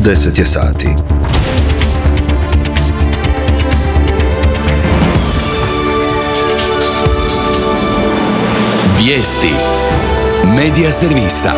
10 je sati. Vijesti Medija servisa.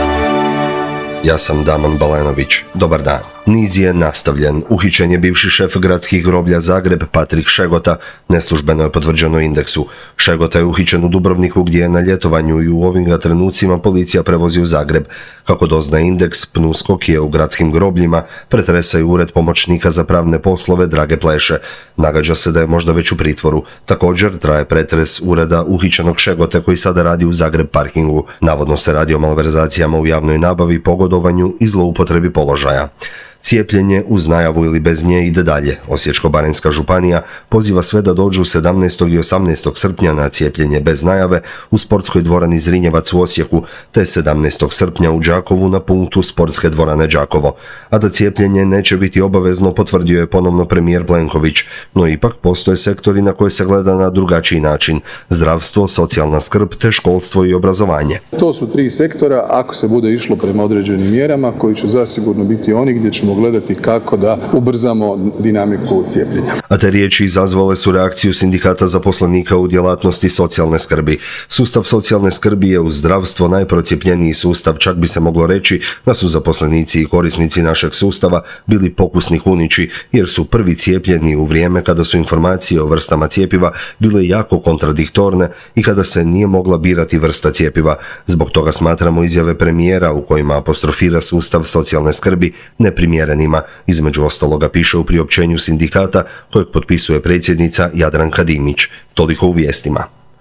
Ja sam Damon Balenović. Dobar dan. Niz je nastavljen. Uhićen je bivši šef gradskih groblja Zagreb, Patrik Šegota, neslužbeno je potvrđeno Indeksu. Šegota je uhićen u Dubrovniku gdje je na ljetovanju i u ovim ga trenucima policija prevozi u Zagreb. Kako doznaje Indeks, PNUSKOK u gradskim grobljima pretresaju ured pomoćnika za pravne poslove Drage Pleše. Nagađa se da je možda već u pritvoru. Također traje pretres ureda uhićenog Šegote koji sada radi u Zagreb parkingu. Navodno se radi o malverzacijama u javnoj nabavi, pogodovanju i zloupotrebi položaja. Cijepljenje uz najavu ili bez nje ide dalje. Osječko-baranjska županija poziva sve da dođu 17. i 18. srpnja na cijepljenje bez najave u sportskoj dvorani Zrinjevac u Osijeku, te 17. srpnja u Đakovu na punktu sportske dvorane Đakovo. A da cijepljenje neće biti obavezno potvrdio je ponovno premijer Plenković, no ipak postoje sektori na koje se gleda na drugačiji način: zdravstvo, socijalna skrb te školstvo i obrazovanje. To su tri sektora ako se bude išlo prema određenim mjerama koji će zasigurno biti oni gdje ćemo gledati kako da ubrzamo dinamiku cijepljenja. A te riječi izazvale su reakciju sindikata zaposlenika u djelatnosti socijalne skrbi. Sustav socijalne skrbi je uz zdravstvo najprocijepljeniji sustav, čak bi se moglo reći da su zaposlenici i korisnici našeg sustava bili pokusni kunići, jer su prvi cijepljeni u vrijeme kada su informacije o vrstama cjepiva bile jako kontradiktorne i kada se nije mogla birati vrsta cjepiva. Zbog toga smatramo izjave premijera u kojima apostrofira sustav socijalne skrbi neprimjerenima. Između ostaloga piše u priopćenju sindikata kojeg potpisuje predsjednica Jadranka Dimić. Toliko u vijestima.